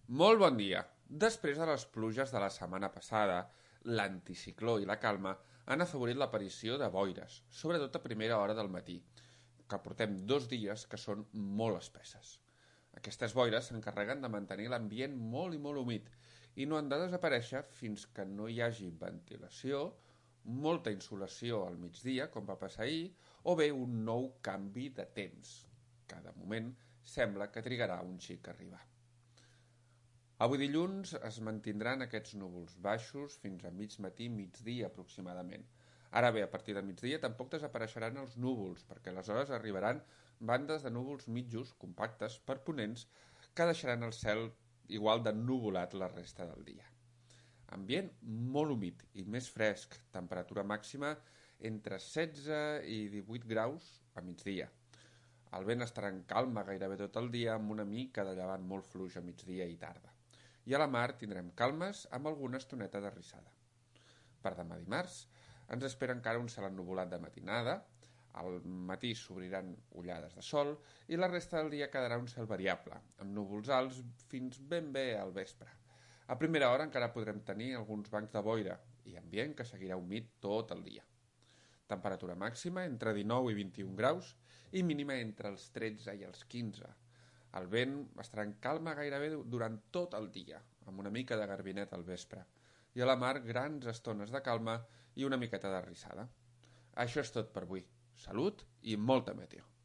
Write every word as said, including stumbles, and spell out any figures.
Molt bon dia. Després de les pluges de la setmana passada, l'anticicló i la calma han afavorit l'aparició de boires, sobretot a primera hora del matí, que portem dos dies que són molt espesses. Aquestes boires s'encarreguen de mantenir l'ambient molt i molt humit i no han de desaparèixer fins que no hi hagi ventilació, molta insolació al migdia, com va passar ahir, o bé un nou canvi de temps, que de moment sembla que trigarà un xic a arribar. Avui dilluns es mantindran aquests núvols baixos fins a mig matí, migdia aproximadament. Ara bé, a partir de migdia tampoc desapareixeran els núvols, perquè aleshores arribaran bandes de núvols mitjos, compactes, perponents, que deixaran el cel igual d'ennuvolat la resta del dia. Ambient molt humit i més fresc, temperatura màxima entre setze i divuit graus a migdia. El vent estarà en calma gairebé tot el dia amb una mica de llevant molt fluix a migdia i tarda. I a la mar tindrem calmes amb alguna estoneta de rissada. Per demà dimarts ens espera encara un cel ennuvolat de matinada, al matí s'obriran ullades de sol i la resta del dia quedarà un cel variable, amb núvols alts fins ben bé al vespre. A primera hora encara podrem tenir alguns bancs de boira i ambient que seguirà humit tot el dia. Temperatura màxima entre dinou i vint-i-un graus i mínima entre els tretze i els quinze. El vent estarà en calma gairebé durant tot el dia, amb una mica de garbinet al vespre, i a la mar grans estones de calma i una miqueta de rissada. Això és tot per avui. Salut i molta meteo.